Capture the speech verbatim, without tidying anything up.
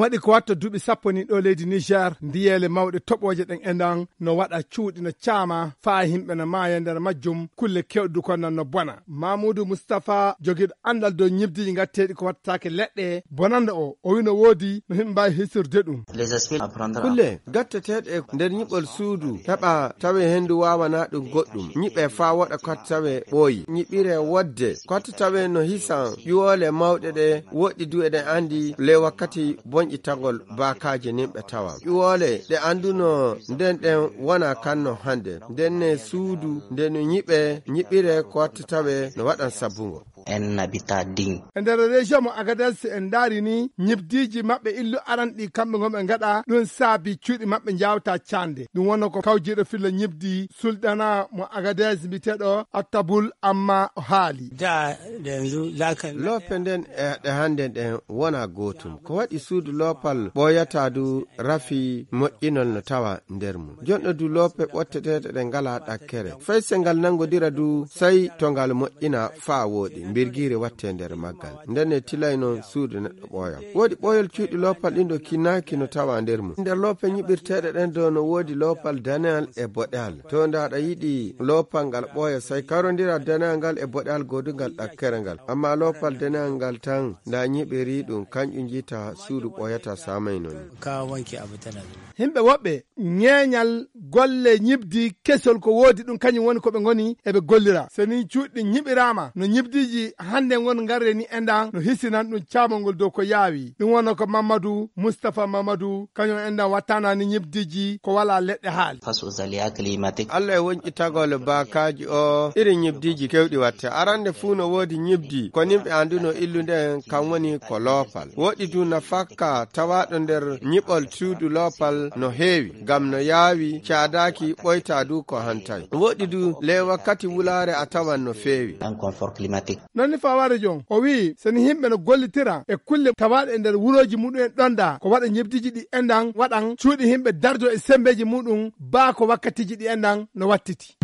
Waɗi ko watta duuɓi sappo ni ɗo leydi Niger, ndiyeele mawɗe toɓooje ɗen e ndan no waɗa cuuɗi no caama, faa himɓe no maaya nder majjum, kulle kewɗe du ko non no bona. Mamoudou Moustapha, jogiiɗo anndal dow ñibdiiji ngatteeɗi ko wattataake leɗɗe, bonanda o, o wi no woodi no himɓe mbaawi hisirde ɗum. Kulle gatteteeɗe e nder ñiɓol suudu heɓa tawe henndu waawanaa ɗum goɗɗum. Ñiɓe faa woɗa ko watta tawe ɓooyi. Ñiɓire wodde ko watta tawe no hisa ƴuwoole mawɗe ɗe woɗɗi du eɗen anndi ley wakkati bonƴitagol baakaaji nin ɓe tawa. Ƴuwoole ɗe annduno nden ɗen wona kan no hannde. Nden ne suudu nde no ñiɓe, ñiɓire ko watta tawe no waɗan sabbungo. Un habitat digne. E nder région mo Agadez, en ndaari ni ñibdiiji maɓɓe illu aran ɗi kamɓe ngon ɓe ngaɗa, ɗum saabi cuuɗi maɓɓe njaawta cande. Ɗum wonno ko kawjiiɗo filla ñibdi sulɗana mo Agadez mbiyeteeɗo Attabul Amma o haali. Da, da yanzu za ka Loope nden e ɗe hannde ɗen wona gootum. Ko waɗi suudu loopal ɓooyata du rafi moƴƴinol no tawa nder mum. Jonɗo du loope ɓotteteeɗe ɗe ngalaa ɗakkere. Fay se ngal nangodira du, sey to ngal moƴƴina faa wooɗi, mbirgiire wattee nder maggal. Nden e tilay non suudu neɗɗo ɓooya. Woodi ɓooyol cuuɗi loopal ɗin ɗo kinnaaki no tawa nder mum. Nder loope ñiɓirteeɗe ɗen ɗo no woodi loopal daneyal e boɗeyal. To nda aɗa yiɗi loopal ngal ɓooya, sey karondira daneyal ngal e boɗeyal goodungal ɗakkere ngal. Amma loopal daneyal ngal tan, nda ñiɓiri ɗum, kanƴum jita suudu ɓooyata saamay non. Ka wanke abu tana. Himɓe woɓɓe ñeeñal golle ñibdi kesol ko woodi ɗum, kañum woni ko ɓe ngoni eɓe gollira. So ni cuuɗi ɗin ñiɓiraama no ñibdiiji hannde ngon ngarre ni endan no hisinan ɗum caamongol dow ko yaawi. Ɗum wonno ko Mamadou Moustapha Mamadou, kañum endan wattana ni ñibdiiji ko walaa leɗɗe haali. Face aux aléas climatiques. Allah e wonƴitagol baakaaji o irin ñibdiiji kewɗi watte. Arande fuu no woodi ñibdi ko nimɓe annduno illu nden kan woni ko loopal. Woɗɗi du na fakka tawaaɗo nder ñiɓol suudu loopal no heewi, ngam no yaawi caadaaki ɓoyta du ko hantay. Woɗɗi du ley wakkati wulaare a tawan no feewi. Un confort climatique. Non ni fawaare jon, o wi'i, so ni himɓe no gollitira e kulle tawaaɗe e nder wurooji muɗum en ɗon da, ko waɗa ñebdiji ɗi endan waɗan cuuɗi himɓe dardo e sembeeji muɗum, baa ko wakkatiji ɗi endan no wattiti.